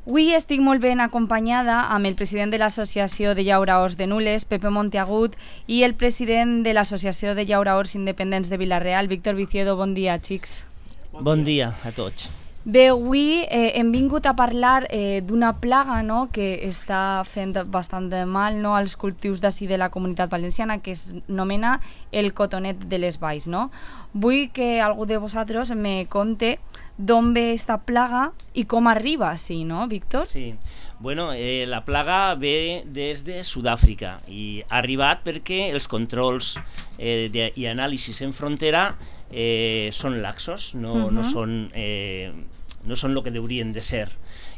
Avui estic molt ben acompanyada amb el president de l'Associació de Llauraors de Nules, Pepe Monteagut, i el president de l'Associació de Llauraors Independents de Vila-real, Víctor Viciedo. Bon dia, xics. Bon dia a tots. Bé, avui hem vingut a parlar d'una plaga, no?, que està fent bastant de mal, no?, als cultius d'ací de la Comunitat Valenciana, que es nomena el cotonet de les valls, no? Vull que algú de vosaltres me conte d'on ve esta plaga i com arriba així, no, Víctor? Sí, bueno, la plaga ve des de Sud-àfrica i ha arribat perquè els controls i anàlisis en frontera són laxos, no són el que deurien de ser.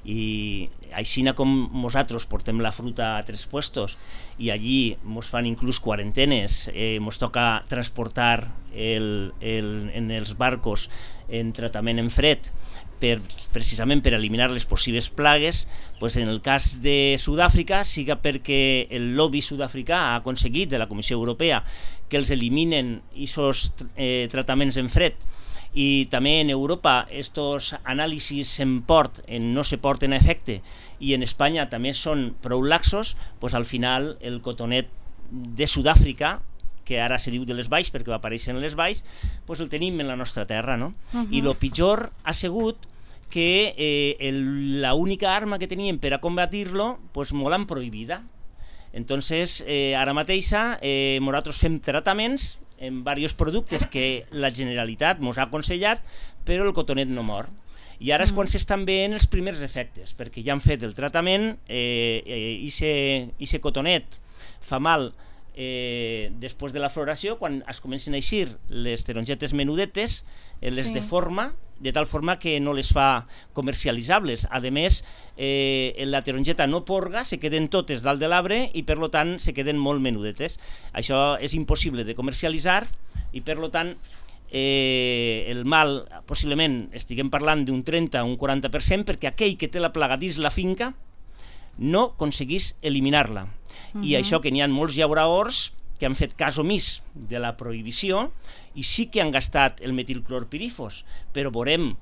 I així com nosaltres portem la fruta a 3 puestos i allí ens fan inclús quarantenes, ens toca transportar en els barcos en tractament en fred precisament per eliminar les possibles plagues, doncs en el cas de Sud-àfrica, siga perquè el lobby sud-africà ha aconseguit de la Comissió Europea que els eliminen aquests tractaments en fred, i també en Europa estos anàlisis en port no se porten a efecte i en Espanya també són prou laxos, doncs al final el cotonet de Sud-àfrica, que ara se diu de les valls perquè va aparèixer en les valls, doncs el tenim en la nostra terra, no? I el pitjor ha sigut que l'única arma que teníem per a combatir-lo doncs molt l'han prohibida. Entonces, ara mateixa nosaltres fem tractaments en diversos productes que la Generalitat ens ha aconsellat, però el cotonet no mor. I ara és quan s'estan veient els primers efectes, perquè ja han fet el tractament, i cotonet fa mal després de la floració, quan es comencen a eixir les tarongetes menudetes, les deforma, de tal forma que no les fa comercialitzables. A més, la tarongeta no porga, se queden totes dalt de l'arbre i per tant se queden molt menudetes. Això és impossible de comercialitzar i per tant el mal, possiblement estiguem parlant d'un 30 o un 40%, perquè aquell que té la plaga dins la finca no aconseguís eliminar-la. I això que n'hi ha molts llauraors que han fet cas omís de la prohibició i sí que han gastat el metilclorpirifos, però veurem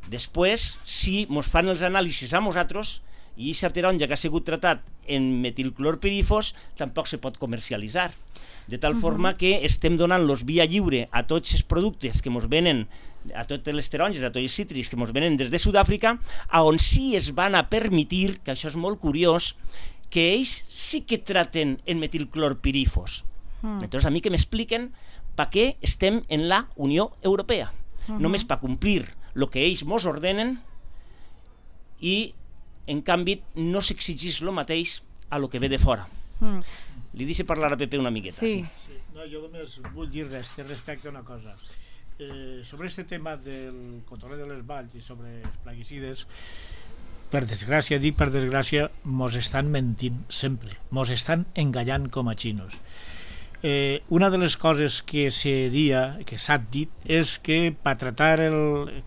després si ens fan els anàlisis a nosaltres i aquesta taronja que ha sigut tratat en metilclorpirifos tampoc se pot comercialitzar. De tal forma que estem donant-los via lliure a tots els productes que ens venen, a totes les taronges, a tots els cítrics que ens venen des de Sud-àfrica, on sí es van a permetir, que això és molt curiós, que ells sí que traten en metilclorpirifos. Entonces a mi que m'expliquen per què estem en la Unió Europea. Només per complir el que ells ens ordenen i, en canvi, no s'exigeix el mateix a lo que ve de fora. Li deixo parlar a Pepe una miqueta. Sí. No, jo només vull dir respecte a una cosa. Sobre este tema del cotonet de les valls i sobre els plaguicides, per desgràcia, dic per desgràcia, mos estan mentint sempre, mos estan enganyant com a xinos. Una de les coses que s'ha dit és que per tratar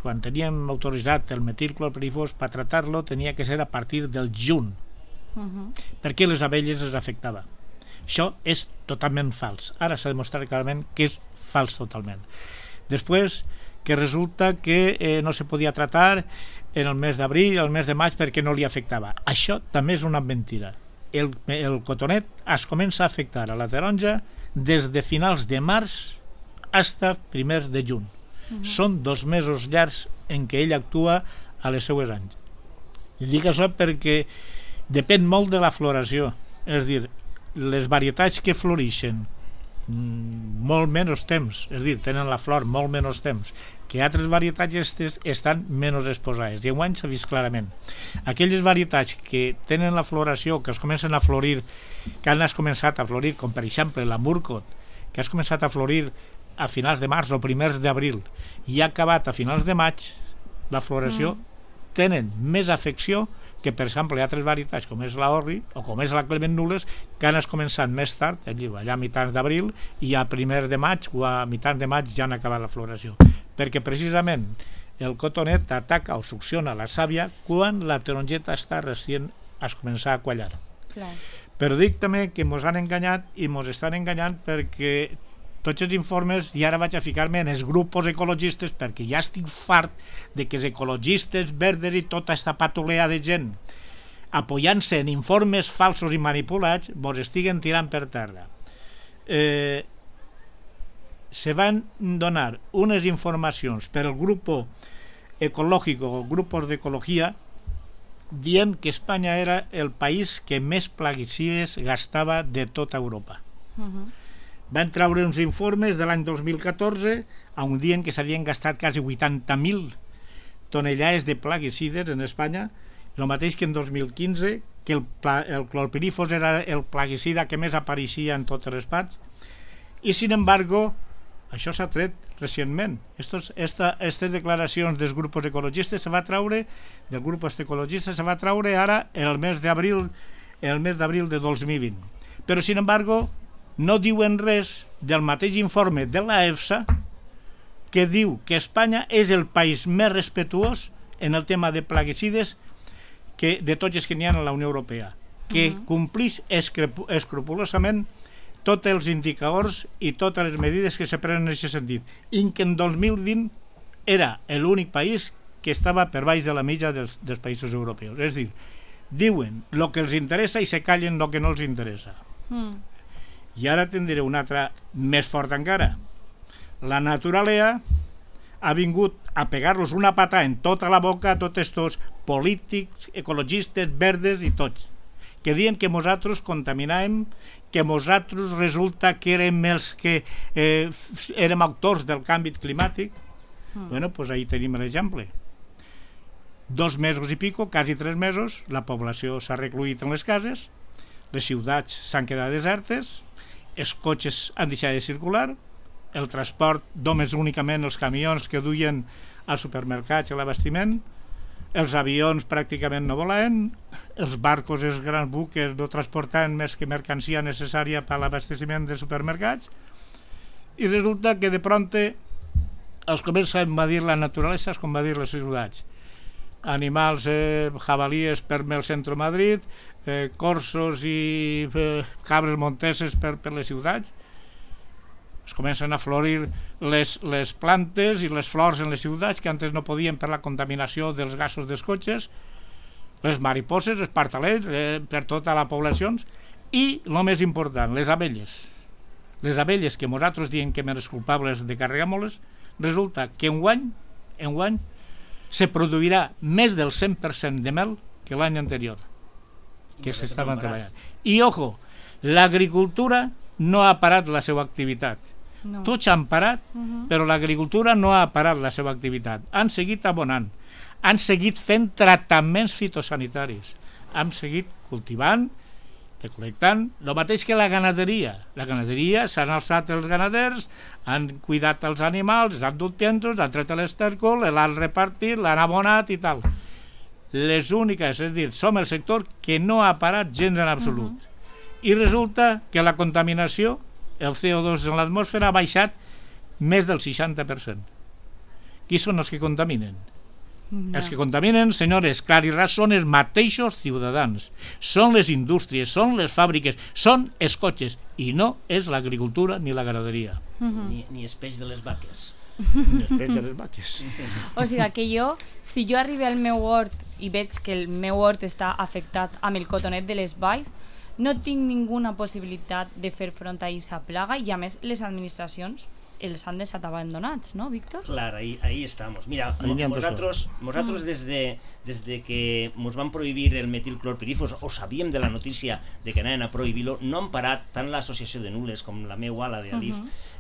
quan teníem autoritzat el metilclorpirifos, per tratar-lo tenia que ser a partir del juny, perquè les abelles les afectava. Això és totalment fals. Ara s'ha demostrat clarament que és fals totalment. Després, que resulta que no se podia tratar en el mes d'abril, el mes de maig, perquè no li afectava. Això també és una mentira. El cotonet es comença a afectar a la taronja des de finals de març fins a primers de juny. Són 2 mesos llargs en què ell actua a les seues anys. I dic això perquè depèn molt de la floració. És a dir, les varietats que floreixen molt menys temps, és a dir, tenen la flor molt menys temps, que altres varietats estan menys exposades, i enguany s'ha vist clarament. Aquelles varietats que tenen la floració, que es comencen a florir, que han començat a florir, com per exemple la Murcot, que has començat a florir a finals de març o primers d'abril i ha acabat a finals de maig, la floració tenen més afecció que, per exemple, altres varietats com és la Orri o com és la Clement Nules, que han començat més tard, allà a mitjans d'abril, i a primer de maig o a mitjans de maig ja han acabat la floració. Perquè precisament el cotonet ataca o succiona la sàvia quan la tarongeta està recient a començar a quallar. Però dic també que ens han enganyat i ens estan enganyant perquè tots els informes, i ara vaig a ficar-me en els grups ecologistes perquè ja estic fart de que els ecologistes, verdes i tota aquesta patolea de gent apoyant-se en informes falsos i manipulats, vos estiguen tirant per terra. Se van donar unes informacions per el grup ecològic o grupos d'ecologia dient que Espanya era el país que més plaguicides gastava de tota Europa. Van treure uns informes de l'any 2014 on dient que s'havien gastat quasi 80.000 tonellades de plaguicides en Espanya, el mateix que en 2015, que el clorpirifos era el plaguicida que més apareixia en totes les parts, i sin embargo això s'ha tret recentment. Aquestes declaracions dels grups ecologistes se va treure, del grup ecologista se va treure ara el mes d'abril de 2020. Però sin embargo no diuen res del mateix informe de la EFSA que diu que Espanya és el país més respetuós en el tema de plaguicides que de tots els que n'hi ha a la Unió Europea, que complix escrupolosament tots els indicadors i totes les medides que se prenen en aquest sentit, i que en 2020 era l'únic país que estava per baix de la mitja dels països europeus. És a dir, diuen el que els interessa i se callen el que no els interessa. I ara tindré una altra més forta encara. La naturalea ha vingut a pegar-los una pata en tota la boca a tots estos polítics, ecologistes, verdes i tots, que diuen que nosaltres contaminàvem, que nosaltres resulta que érem els que érem autors del canvi climàtic. Bueno, doncs ahí tenim l'exemple. 2 mesos i pico, quasi 3 mesos, la població s'ha recluït en les cases, les ciutats s'han quedat desertes, els cotxes han deixat de circular, el transport només únicament els camions que duien als supermercats i a l'abastiment, els avions pràcticament no volaven, els barcos, els grans buques no transportaven més que mercancia necessària per a l'abastiment de supermercats, i resulta que de pronto els comença a invadir la naturalesa, com va dir les ciutats. Animals, jabalíes per el centre de Madrid, corsos i cabres monteses per les ciutats. Es comencen a florir les plantes i les flors en les ciutats que antes no podien per la contaminació dels gasos dels cotxes, les mariposes, els partalets, per tota la població, i el més important, les abelles. Les abelles que nosaltres diem que eren els culpables de carregar-nos, resulta que enguany se produirà més del 100% de mel que l'any anterior que s'estaven treballant. I ojo, l'agricultura no ha parat la seva activitat. Tots han parat, però l'agricultura no ha parat la seva activitat. Han seguit abonant, han seguit fent tractaments fitosanitaris, han seguit cultivant, recol·lectant, el mateix que la ganaderia. La ganaderia s'han alçat els ganaders, han cuidat els animals, han dut piensos, han tret l'estèrcol, l'han repartit, l'han abonat i tal. Les úniques, és a dir, som el sector que no ha parat gens en absolut. I resulta que la contaminació, el CO2 en l'atmosfera, ha baixat més del 60%. Qui són els que contaminen? Els que contaminen, senyores, clar i ras, són els mateixos ciutadans. Són les indústries, són les fàbriques, són els cotxes, i no és l'agricultura ni la ganaderia. Ni el peix de les vaques. Ni el peix de les vaques. O sigui que jo, si jo arribo al meu hort i veig que el meu hort està afectat amb el cotonet de les valls, no tinc ninguna possibilitat de fer front a aquesta plaga, i a més les administracions els han deixat abandonats, ¿no, Víctor? Claro, ahí estamos. Mira, nosotros desde que nos van prohibir el metilclorpirifos, o sabíem de la notícia de que anaven a prohibir-lo, no han parat tant l'associació de nules com la meua, la d'Alif,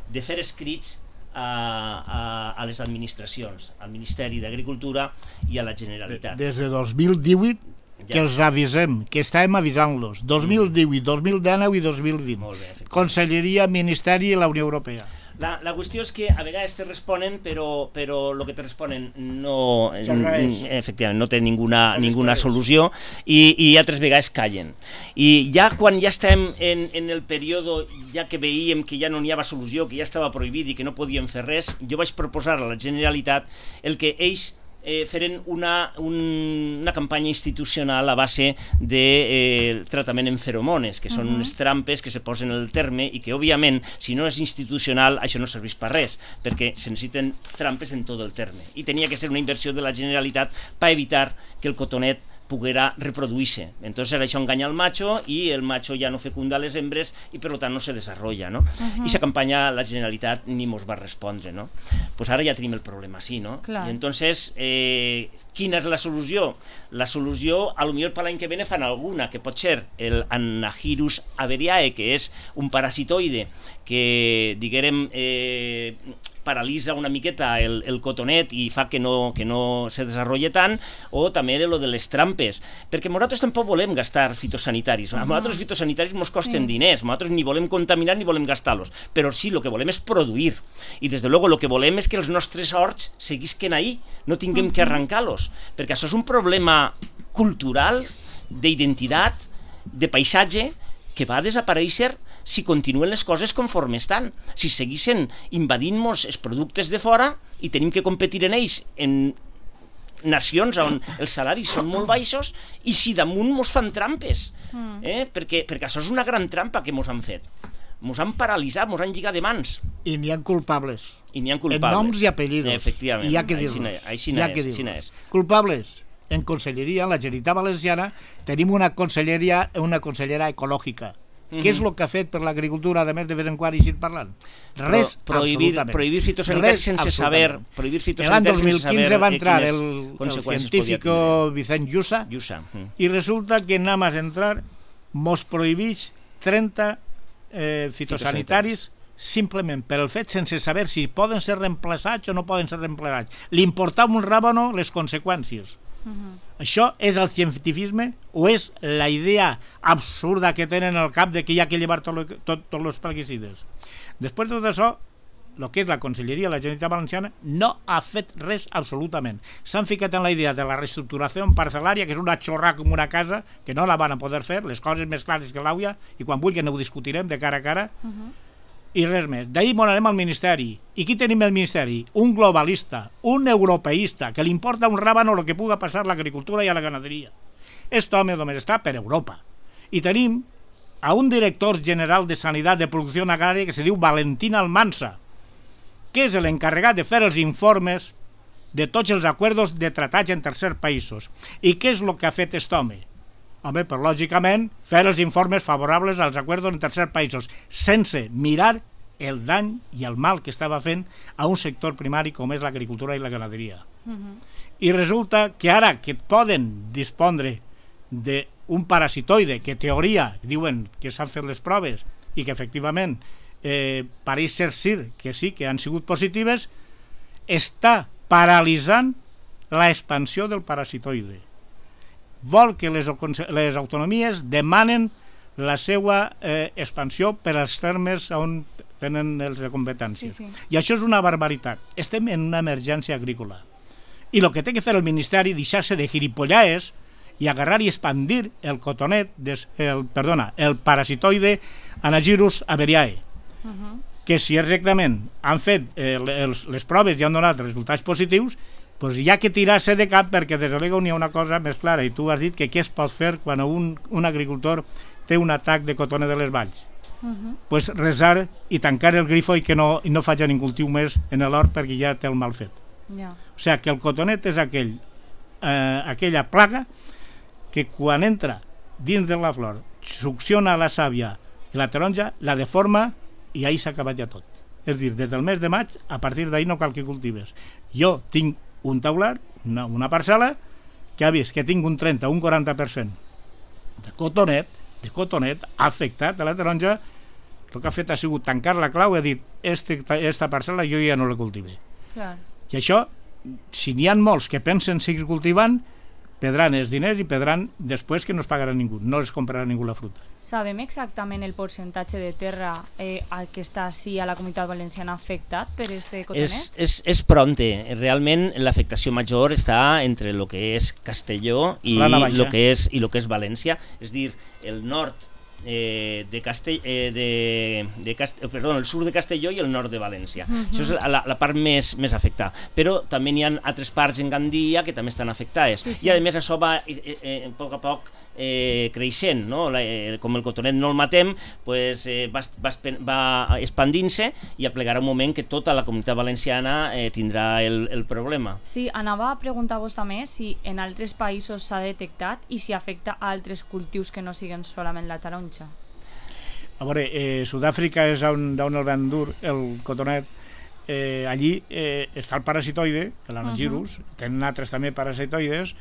de fer escrits a les administracions, al Ministeri d'Agricultura i a la Generalitat. Des de 2018 que els avisem, que estàvem avisant-los, 2018, 2019 i 2020. Conselleria, Ministeri i la Unió Europea. La qüestió és que a vegades te responen, però el que te responen no, efectivament, no té ninguna solució, i altres vegades callen. I ja quan ja estem en el període, ja que veiem que ja no n'hi havia solució, que ja estava prohibit i que no podíem fer res, jo vaig proposar a la Generalitat el que ells feren una campanya institucional a base de tractament en feromones, que són unes trampes que se posen al terme i que, òbviament, si no és institucional, això no serveix per res, perquè se necessiten trampes en tot el terme. I tenia que ser una inversió de la Generalitat per evitar que el cotonet poguera reproduir-se. Entonces això enganya al macho y el macho ya no fecunda les hembres y per tant no se desarrolla, no? I esa campanya la Generalitat ni mos va respondre, no? Pues ara ja tenim el problema així, no? Clar. I entonces, quina és la solució? La solució, a lo millor per l'any que ve fan alguna, que pot ser el Anahirus averiae, que és un parasitoide que, diguérem, paralitza una miqueta el cotonet i fa que no se desenvolupi tant, o també lo de les trampes, perquè nosaltres tampoc volem gastar fitosanitaris. A nosaltres els fitosanitaris ens costen diners, nosaltres ni volem contaminar ni volem gastar-los, però sí, el que volem és produir, i des de luego el que volem és que els nostres horts seguisquen ahí, no tinguem que arrencar-los, perquè això és un problema cultural, d'identitat, de paisatge, que va desaparèixer si continuen les coses conforme estan. Si seguissin invadint-nos els productes de fora i tenim que competir en ells en nacions on els salaris són molt baixos i si damunt mos fan trampes, perquè això és una gran trampa que mos han fet. Mos han paralitzat, mos han lligat de mans. I n'hi ha culpables. I n'hi ha En culpables. noms i apellidos. Efectivament. I hi ha que dir-los. Així és. Culpables. En Conselleria, en la Generalitat Valenciana, tenim una consellera ecològica. Què és el que ha fet per l'agricultura, a més de vez en quan així parlant? Res, absolutament. Prohibir fitosanitaris sense saber... L'any 2015 va entrar el científico Vicent Llussa i resulta que nada más entrar mos prohibeix 30 fitosanitaris simplement per el fet sense saber si poden ser reemplaçats o no poden ser reemplaçats. Li importava un ràbano les conseqüències. Això és el cientifisme o és la idea absurda que tenen al cap de que hi ha que llevar tots els plaguicides? Després de tot això, el que és la Conselleria de la Generalitat Valenciana no ha fet res absolutament. S'han ficat en la idea de la reestructuració parcel·lària, que és una xorrà com una casa, que no la van a poder fer, les coses més clares que l'àuia, i quan vulguin ho discutirem de cara a cara, i res més. D'ahir anem al Ministeri. I qui tenim al Ministeri? Un globalista, un europeista, que li importa un ràbano el que puga passar a l'agricultura i a la ganaderia. Este home només està per Europa. I tenim a un director general de Sanitat de Producció Agrària que se diu Valentín Almansa, que és l'encarregat de fer els informes de tots els acords de tractats en tercers països. I què és el que ha fet aquest home? Home, però lògicament fer els informes favorables als acords en tercers països, sense mirar el dany i el mal que estava fent a un sector primari com és l'agricultura i la ganaderia. I resulta que ara que poden dispondre d'un parasitoide que teoria diuen que s'han fet les proves i que efectivament pareix ser que sí que han sigut positives, està paralitzant l'expansió del parasitoide. Vol que les autonomies demanen la seva expansió per als termes on tenen les competències. I això és una barbaritat. Estem en una emergència agrícola. I el que té que fer el Ministeri és deixar-se de gilipollaes i agarrar i expandir el cotonet, el parasitoide Anahirus averiae, que si exactament han fet les proves i han donat resultats positius, doncs hi ha que tirar-se de cap perquè des de l'ego n'hi ha una cosa més clara i tu has dit que què es pot fer quan un agricultor té un atac de cotonet de les valls. Doncs resar i tancar el grifo i que no faci ningú cultiu més en l'hort perquè ja té el mal fet. O sigui que el cotonet és aquella plaga que quan entra dins de la flor succiona la sàvia i la taronja, la deforma i ahí s'ha acabat ja tot. És a dir, des del mes de maig, a partir d'ahir no cal que cultives. Jo tinc un taular, una parcel·la, que ha vist que tinc un 30 o un 40% de cotonet ha afectat a la taronja. El que ha fet ha sigut tancar la clau i ha dit esta parcel·la jo ja no la cultivé. I això, si n'hi ha molts que pensen seguir cultivant, perdran els diners i perdran després que no es pagarà ningú, no es comprarà ningú la fruta. Sabem exactament el percentatge de terra que està així a la Comunitat Valenciana afectat per este cotonet? És pronte. Realment l'afectació major està entre el que és Castelló i el que és València. És dir, el nord el sud de Castelló i el nord de València. Això és la part més afectada. Però també n'hi ha altres parts en Gandia que també estan afectades. I a més això va a poc creixent, no? Com el cotonet no el matem, va expandint-se i aplegarà un moment que tota la comunitat valenciana tindrà el problema. Sí, anava a preguntar-vos també si en altres països s'ha detectat i si afecta a altres cultius que no siguen solament la taronja. A veure, Sud-àfrica és on el van dur, el cotonet. Allí està el parasitoide, l'anagirus, tenen altres també parasitoides,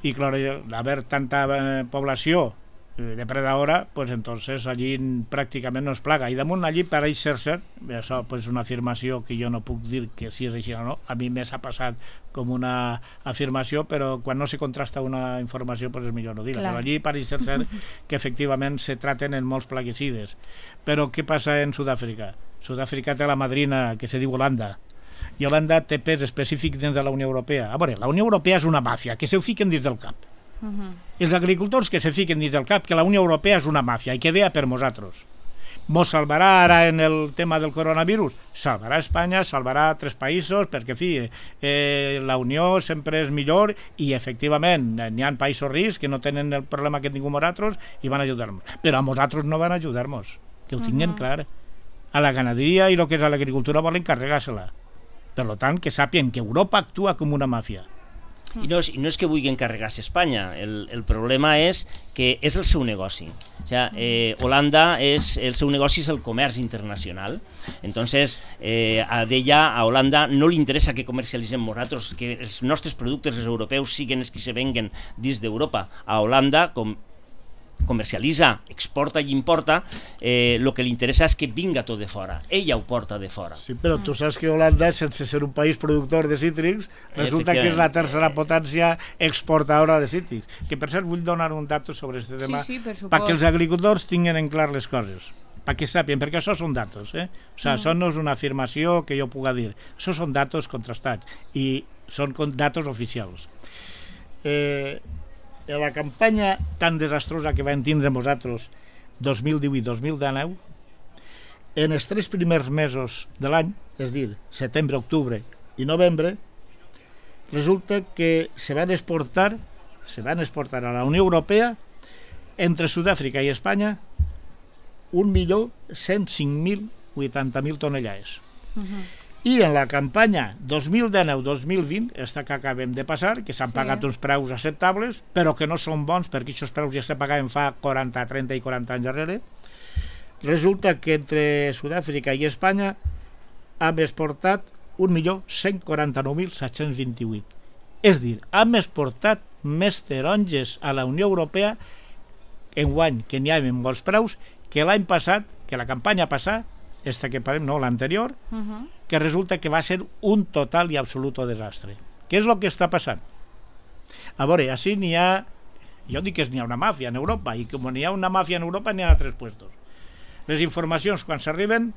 i clar, haver tanta població depredadora, pues entonces allí pràcticament no es plaga. I damunt allí pareix ser cert, això és una afirmació que jo no puc dir que si és així o no, a mi m'ha passat com una afirmació, però quan no se contrasta una informació pues és millor no dir-la. Però allí pareix ser cert que efectivament se traten en molts plaguicides. Però què passa en Sud-àfrica? Sud-àfrica té la madrina que se diu Holanda, i Holanda té pes específic dins de la Unió Europea. A veure, la Unió Europea és una màfia que se fiquen dins del cap. Els agricultors que se fiquen dins del cap que la Unió Europea és una màfia i que vea per nosaltres. Mos salvarà ara en el tema del coronavirus? Salvarà Espanya, salvarà altres països, perquè la Unió sempre és millor i efectivament n'hi ha països rics que no tenen el problema que tinguem nosaltres i van ajudar-nos. Però a nosaltres no van ajudar-nos, que ho tinguin clar. A la ganaderia i el que és a l'agricultura volen carregar-se-la. Per tant, que sàpien que Europa actua com una màfia. I no és que vulguin carregar-se Espanya, el problema és que és el seu negoci. O sigui, Holanda, el seu negoci és el comerç internacional. Entonces, a Holanda no li interessa que comercialitzem nosaltres, que els nostres productes, els europeus, siguin els que se venguen dins d'Europa. A Holanda, com comercialitza, exporta i importa, el que li interessa és que vinga tot de fora. Ella ho porta de fora. Sí, però tu saps que Holanda, sense ser un país productor de cítrics, resulta que és la tercera potència exportadora de cítrics. Que, per cert, vull donar un dato sobre aquest tema perquè els agricultors tinguin en clar les coses, perquè sàpien, perquè això són datos. O sigui, això no és una afirmació que jo puga dir. Això són datos contrastats i són datos oficials. La campanya tan desastrosa que vam tindre nosaltres 2018-2019, en els 3 primers mesos de l'any, és a dir, setembre, octubre i novembre, resulta que se van exportar a la Unió Europea entre Sud-àfrica i Espanya 1.105.080.000 tonellades. I en la campanya 2019-2020, esta que acabem de passar, que s'han pagat uns preus acceptables, però que no són bons perquè aquests preus ja se pagaven fa 40, 30 i 40 anys darrere, resulta que entre Sud-àfrica i Espanya hem exportat 1.149.728. És a dir, hem exportat més taronges a la Unió Europea enguany que n'hi ha en molts preus que l'any passat, que la campanya passada, esta que parlem, no, l'anterior, que resulta que va ser un total i absolut desastre. Què és el que està passant? A veure, així n'hi ha, jo dic que n'hi ha una màfia en Europa, i com n'hi ha una màfia en Europa n'hi ha altres puestos. Les informacions, quan s'arriben,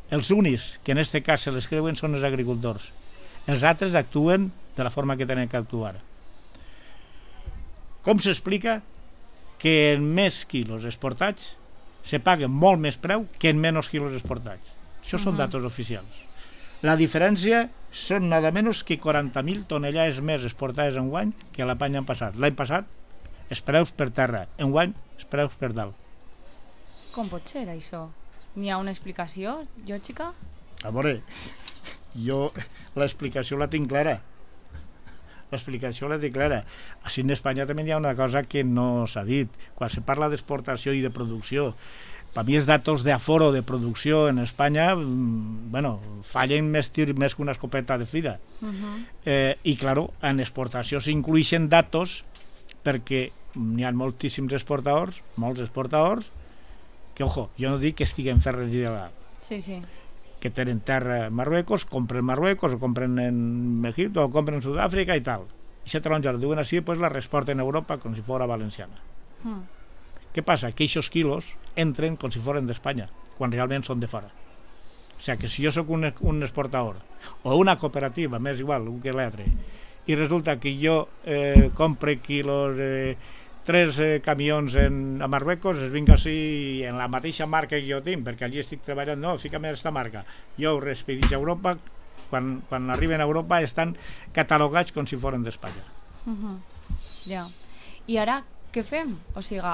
els únics que en aquest cas se les creuen són els agricultors. Els altres actuen de la forma que tenen que actuar. Com s'explica que en més quilos exportats se paguen molt més preu que en menys quilos exportats? Això són datos oficials. La diferència són nada menys que 40.000 tonellades més exportades enguany que l'any passat. L'any passat, els preus per terra. Enguany, els preus per dalt. Com pot ser, això? N'hi ha una explicació, lògica? A veure, jo l'explicació la tinc clara. Així en Espanya també hi ha una cosa que no s'ha dit. Quan se parla d'exportació i de producció, per mi els datos d'aforo de producció en Espanya fallen més que una escopeta de fira. I, clar, en exportació s'inclueixen datos perquè n'hi ha moltíssims exportadors, que, ojo, jo no dic que estiguen fent res il·legal. Sí. Que tenen terra a Marruecos, compren Marruecos, o compren en Egipte, o compren en Sud-àfrica i tal. I se taronja, ho diuen així, pues la reexporten a Europa com si fos valenciana. Què passa? Que aquests quilos entren com si foren d'Espanya, quan realment són de fora. O sigui, que si jo sóc un exportador, o una cooperativa, m'és igual, un que l'altre, i resulta que jo compre quilos 3 camions a Marruecos es vinga així en la mateixa marca que jo tinc, perquè allí estic treballant, no, fica'm aquesta marca. Jo ho respedix a Europa, quan arriben a Europa estan catalogats com si foren d'Espanya. Ja. I ara què fem? O sigui,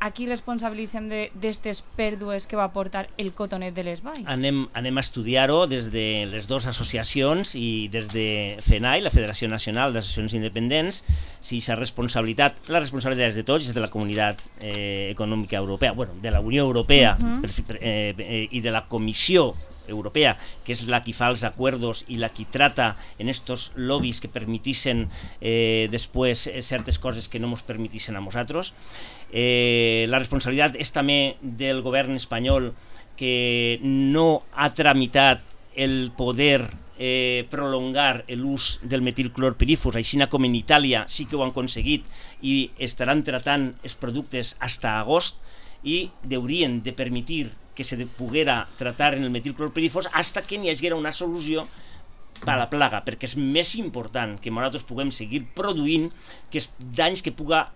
aquí responsabilitzem d'aquestes pèrdues que va portar el cotonet de les valls? Anem a estudiar-ho des de les dues associacions i des de FENAI, la Federació Nacional d'Associacions Independents, si la responsabilitat és de tots, és de la Comunitat Econòmica Europea, bueno, de la Unió Europea i de la Comissió Europea, que és la que fa els acuerdos i la que trata en estos lobbies que permitissen després certes coses que no ens permitissen a nosaltres. La responsabilitat és també del govern espanyol, que no ha tramitat el poder prolongar l'ús del metilclorpirifos, així com en Itàlia sí que ho han aconseguit i estaran tratant els productes fins a agost, i haurien de permetre que se poguera tratar en el metilclorpirifos fins que n'hi hagi una solució per a la plaga, perquè és més important que nosaltres puguem seguir produint que els danys que puga,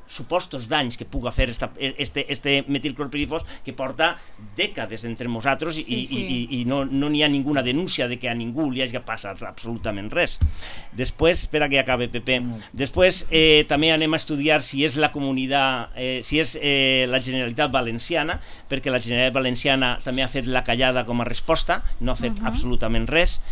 supostos danys que puga fer este metilclorpirifos, que porta dècades entre nosaltres i no n'hi ha ninguna denúncia de que a ningú li hagi passat absolutament res. Després, espera que acabe, Pepe, després també anem a estudiar si és la comunitat, si és la Generalitat Valenciana, perquè la Generalitat Valenciana també ha fet la callada com a resposta, no ha fet absolutament res,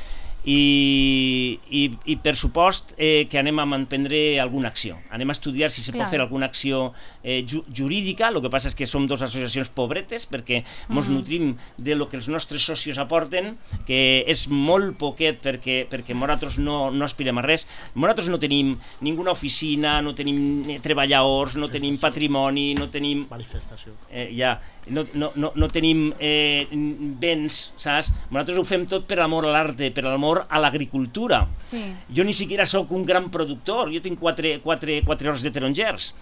i per supost que anem a emprendre alguna acció. Anem a estudiar si se pot fer alguna acció jurídica. El que passa és que som dues associacions pobretes, perquè ens nutrim de lo que els nostres socis aporten, que és molt poquet, perquè nosaltres no aspirem a res. Nosaltres no tenim ninguna oficina, no tenim treballadors, no tenim patrimoni, no tenim... Manifestació. No tenim béns, saps? Nosaltres ho fem tot per l'amor a l'arte, per l'amor a l'agricultura. Jo ni siquiera sóc un gran productor, jo tinc 4 horts de tarongers,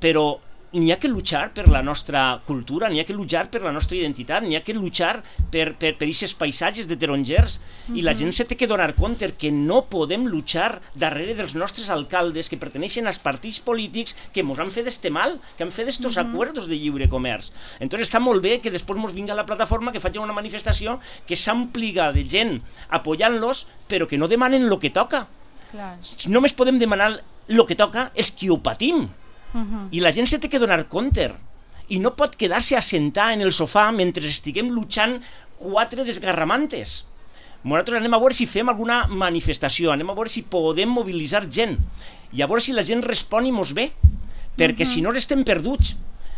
però n'hi ha que luchar per la nostra cultura, n'hi ha que luchar per la nostra identitat, n'hi ha que luchar per aquests paisatges de tarongers, i la gent se té que donar compte que no podem luchar darrere dels nostres alcaldes que perteneixen als partits polítics que ens han fet este mal, que han fet estos acuerdos de lliure comerç. Entonces està molt bé que després ens vinga la plataforma, que faci una manifestació que s'ampliga de gent apoyant-los, però que no demanen el que toca. Només podem demanar el que toca els qui ho patim. I la gent se té que donar compte i no pot quedar-se assentar en el sofà mentre estiguem luchant 4 desgarramantes. Nosaltres anem a veure si fem alguna manifestació, anem a veure si podem mobilitzar gent i a veure si la gent respon i mos ve, perquè si no estem perduts.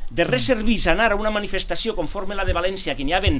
De res serveix anar a una manifestació conforme la de València, que n'hi havia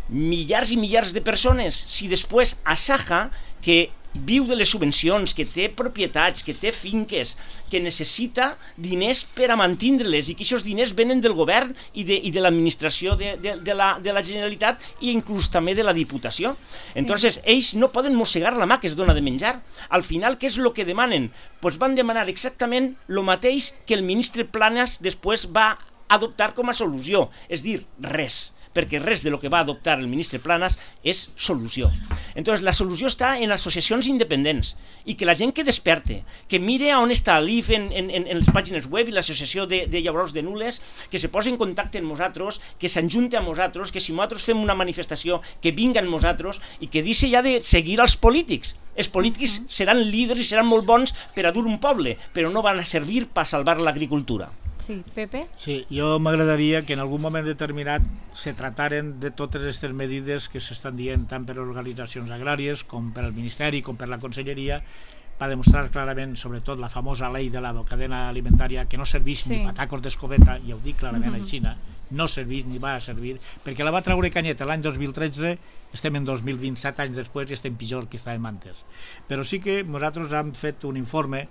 milers i milers de persones, si després a Saja, que viu de les subvencions, que té propietats, que té finques, que necessita diners per a mantindre-les, i que aquests diners venen del govern i de l'administració de la Generalitat i inclús també de la Diputació. Entonces, ells no poden mossegar la mà que es dona de menjar. Al final, què és el que demanen? Pues van demanar exactament el mateix que el ministre Planas després va adoptar com a solució, és dir, res, perquè res de lo que va adoptar el ministre Planas és solució. Entonces, la solució està en associacions independents i que la gent que desperte, que mire on està l'IF en les pàgines web i l'associació de llaurors de nules, que se posi en contacte amb nosaltres, que s'enjunte amb nosaltres, que si nosaltres fem una manifestació, que vinguen amb nosaltres i que deixi ja de seguir els polítics. Els polítics seran líders i seran molt bons per a dur un poble, però no van a servir per salvar l'agricultura. Sí, Pepe? Sí, jo m'agradaria que en algun moment determinat se trataren de totes aquestes medides que s'estan dient tant per organitzacions agràries com per al Ministeri com per la Conselleria, per demostrar clarament, sobretot la famosa llei de la cadena alimentària, que no serveix ni patacos d'escobeta, ja ho dic clarament així, no serveix ni va a servir, perquè la va treure Canyet l'any 2013, estem en 2027 anys després i estem pitjor que estàvem antes. Però sí que nosaltres hem fet un informe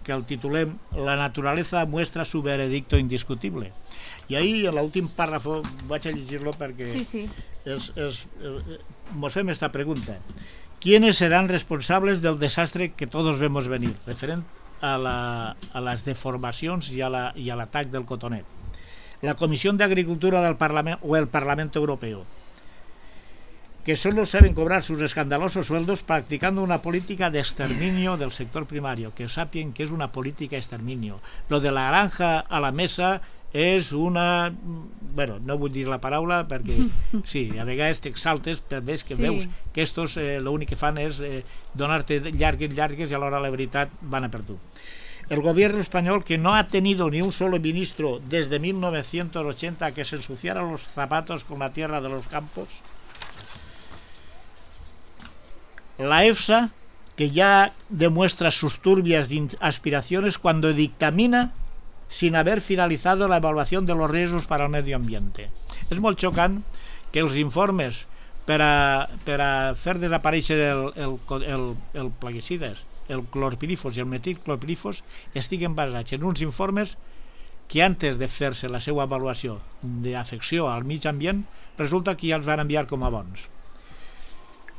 que el titulem La naturaleza muestra su veredicto indiscutible. I ahí, en l'últim pàrrafo, vaig a llegir-lo perquè mos fem esta pregunta. ¿Quiénes serán responsables del desastre que todos vemos venir? Referent a les deformacions i a l'atac del cotonet. La Comissió d'Agricultura del Parlament o el Parlament Europeu. que solo saben cobrar sus escandalosos sueldos practicando una política de exterminio del sector primario, que sapien que és una política de exterminio. Lo de la granja a la mesa és una... Bueno, no vull dir la paraula perquè sí, a vegades t'exaltes per veure que veus que estos l'únic que fan és donar-te llargues i alhora la veritat van a per tu. El gobierno español, que no ha tenido ni un solo ministro desde 1980 que se ensuciara los zapatos con la tierra de los campos. La EFSA, que ya demuestra sus turbias aspiraciones cuando dictamina sin haber finalizado la evaluación de los riesgos para el medio ambiente. És molt xocant que els informes per a fer desaparèixer el plaguicides, el clorpirifos i el metilclorpirifos estiguen basats en uns informes que antes de fer-se la seva avaluació d'afecció al mig ambient resulta que ja els van enviar com a bons.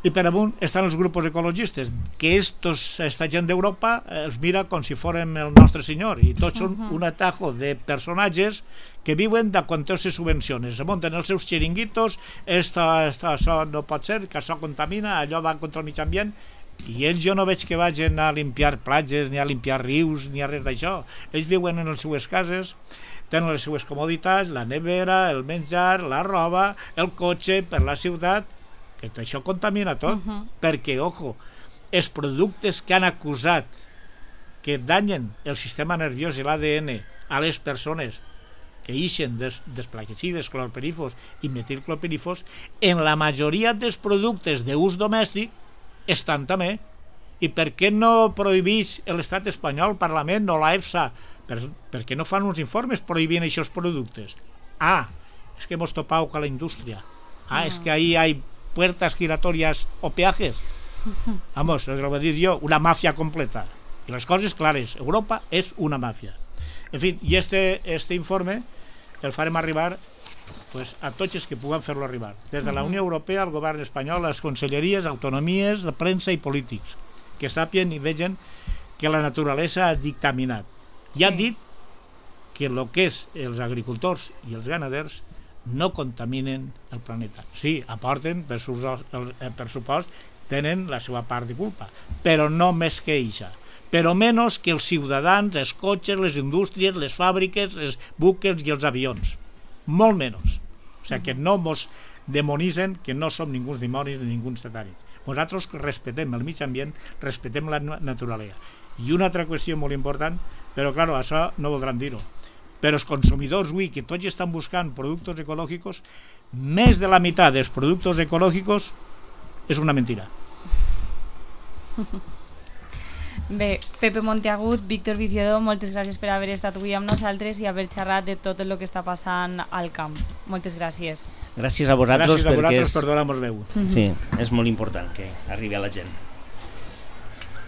I per amunt estan els grups ecologistes, que esta gent d'Europa els mira com si fórem el nostre senyor, i tots són un atajo de personatges que viuen de quantes subvencions. Se munten els seus xiringuitos, això no pot ser, que això contamina, allò va contra el mig ambient, i ells jo no veig que vagin a limpiar platges, ni a limpiar rius, ni a res d'això. Ells viuen en les seues cases, tenen les seues comoditats, la nevera, el menjar, la roba, el cotxe per la ciutat, que això contamina tot, perquè, ojo, els productes que han acusat que danyen el sistema nerviós i l'ADN a les persones que ixen dels plaguicides, clorpirifos i metilclorpirifos, en la majoria dels productes d'ús domèstic estan també. I per què no prohibeix l'estat espanyol, el Parlament o la EFSA? Per què no fan uns informes prohibint aquests productes? És que hemos topado con la industria. És que ahí hay puertas giratorias o peajes. Vamos, lo voy a decir yo, una mafia completa. Y las cosas claras, Europa es una mafia. En fin, y este informe el farem arribar pues, a tots els que puguen fer-lo arribar. Des de la Unió Europea, el govern espanyol, les conselleries, autonomies, la premsa i polítics, que sàpien i vegen que la naturalesa ha dictaminat. I ha dit que el que és els agricultors i els ganaders no contaminen el planeta. Sí, aporten, per supost, tenen la seva part de culpa, però no més que eixa. Però menys que els ciutadans, els cotxes, les indústries, les fàbriques, els buques i els avions. Molt menys. O sigui, que no mos demonitzen, que no som ningú dimonis ni ningú satànics. Nosaltres respetem el mig ambient, respetem la naturalesa. I una altra qüestió molt important, però, clar, això no voldran dir-ho. Però els consumidors avui, que tots estan buscant productes ecològics, més de la meitat dels productes ecològics és una mentira. Bé, Pepe Monteagut, Víctor Viciodó, moltes gràcies per haver estat avui amb nosaltres i haver xerrat de tot el que està passant al camp. Moltes gràcies. Gràcies a vosaltres, per donar-nos veu. Sí, és molt important que arribi a la gent.